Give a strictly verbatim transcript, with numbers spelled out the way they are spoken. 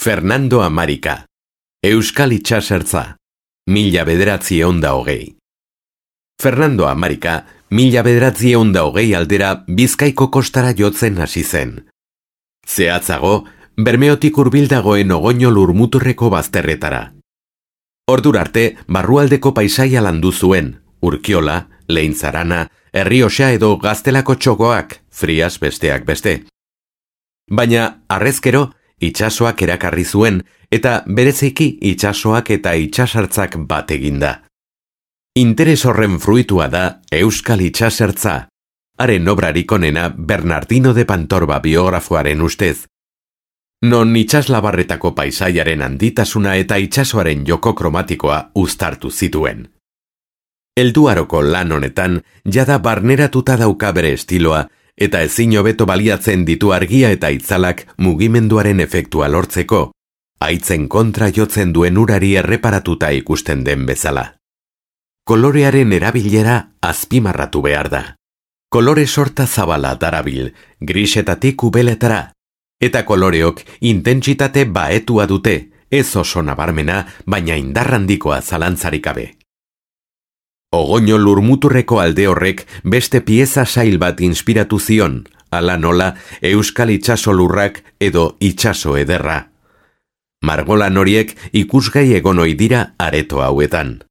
Fernando Amarika, Euskal Itxasertza, mila bederatzi eunda hogei. Fernando Amarika, mila bederatzi eunda hogei aldera Bizkaiko kostara jotzen hasi zen. Zehatzago, Bermeotik hurbildagoen Ogoño lurmuturreko bazterretara. Ordurarte, barrualdeko paisaia landu zuen, Urkiola, Leintzarana, Errioxa edo Gaztelako txokoak, Frias besteak beste. Baina, harrezkero, itsasoak erakarri zuen, eta bereziki itsasoak eta itsasartzak bat eginda. Interes horren fruitua da Euskal Itxasertza, haren obrarik onena Bernardino de Pantorba biografoaren ustez, non itsaslabarretako paisaiaren handitasuna eta itsasoaren joko kromatikoa uztartu zituen. Helduaroko lan honetan, jada barneratuta dauka bere estiloa, eta ezin hobeto baliatzen ditu argia eta itzalak mugimenduaren efektua lortzeko, haitzen kontra jotzen duen urari erreparatuta ikusten den bezala. Kolorearen erabilera azpimarratu behar da. Kolore sorta zabala darabil, grisetatik ubeletara, eta koloreok intentsitate baetua dute, ez oso nabarmena, baina indarrandikoa zalantzarik gabe. Ogoño lurmuturreko alde horrek beste pieza sail bat inspiratu zion, ala nola Euskal Itxaso lurrak edo itxaso ederra. Margolan horiek ikusgai egon ohi dira areto hauetan.